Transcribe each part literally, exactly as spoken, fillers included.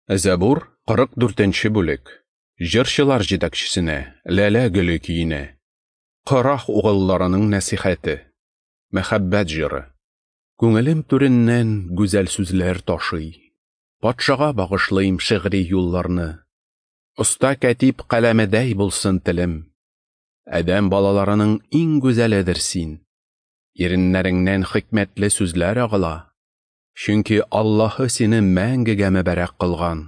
Зәбур, кырык дүртенче бүлек. Җырчылар җитәкчесенә, Ләлә гөле көенә. Корах угылларының нәсихәте. Мәхәббәт җыры. Күңелем түреннән гүзәл сүзләр ташый. Патшага багышлыйм шигъри юлларны. Оста кәтип каләмедәй булсын телем. Адәм балаларының иң гүзәледер син. Иреннәреңнән хикмәтле сүзләр агыла. Чөнки Аллаһы сине мәңгегә мөбарәк кылган.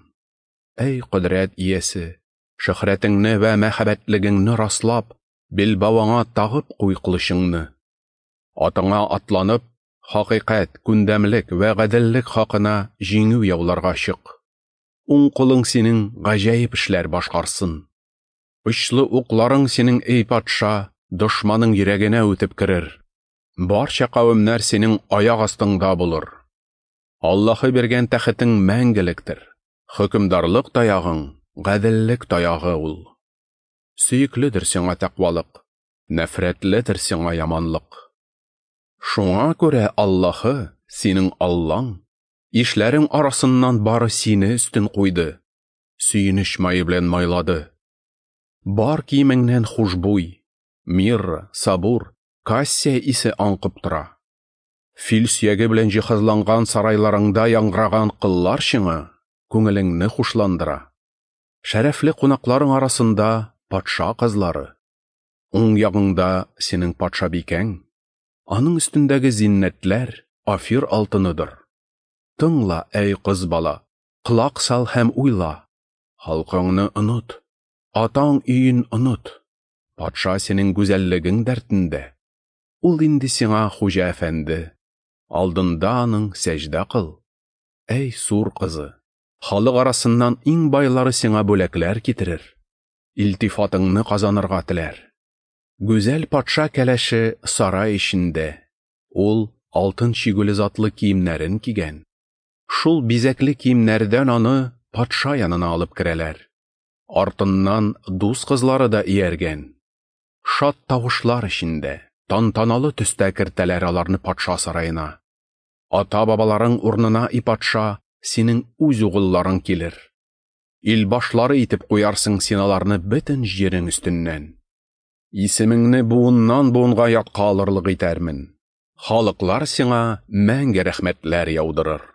Әй кодрәт иясе, шөһрәтеңне вә мәхәббәтлегеңне раслап, билбавыңа тагып куй кылычыңны. Атыңа атланып, хакыйкать, күндәмлек вә гаделлек хакына җиңү яуларга чык. Уң кулың синең гаҗәеп эшләр башкарсын. Очлы укларың синең, эй патша, дошманың йөрәгенә үтеп керер. Барча кавемнәр синең аяк астыңда булыр. Аллаһы биргән тәхетең мәңгелектер. Хөкемдарлык таягың, гаделлек таягы ул. Сөекледер сиңа тәкъвалык, нәфрәтледер сиңа яманлык. Шуңа күрә Аллаһы, синең Аллаң, ишләрең арасыннан бары сине өстен куйды, сөенеч мае белән майлады. Бар киемеңнән хушбуй, мирра, сабур, кассия исе аңкып тора. Фил сөяге белән җиһазланган сарайларыңда яңгыраган кыллар чыңы күңелеңне хушландыра. Шәрәфле кунакларың арасында патша кызлары. Уң ягыңда синең патшабикәң. Аның өстендәге зиннәтләр афир алтыныдыр. Тыңла, әй кыз бала, колак сал һәм уйла. Халкыңны оныт, атаң өен оныт. Патша синең гүзәллегең дәртендә. Ул инде сиңа хуҗа әфәнде. Алдында аның сәҗдә кыл. Әй сур кызы, халык арасыннан иң байлары сиңа бүләкләр китерер. Илтифатыңны казанырга теләр. Гүзәл патша кәләше сарай эчендә. Ул алтын чигүле затлы киемнәрен кигән. Шул бизәкле киемнәрдән аны патша янына алып керәләр. Артыннан дус кызлары да ияргән. Шат тавышлар эчендә, тантаналы төстә кертәләр аларны патша сараена. Ата-бабаларың урынына, и патша, синең үз угылларың килер. Ил башлары итеп куярсың син аларны бөтен җирең өстеннән. Исемеңне буыннан буынга ятка алырлык итәрмен. Халыклар сиңа мәңге рәхмәтләр яудырыр.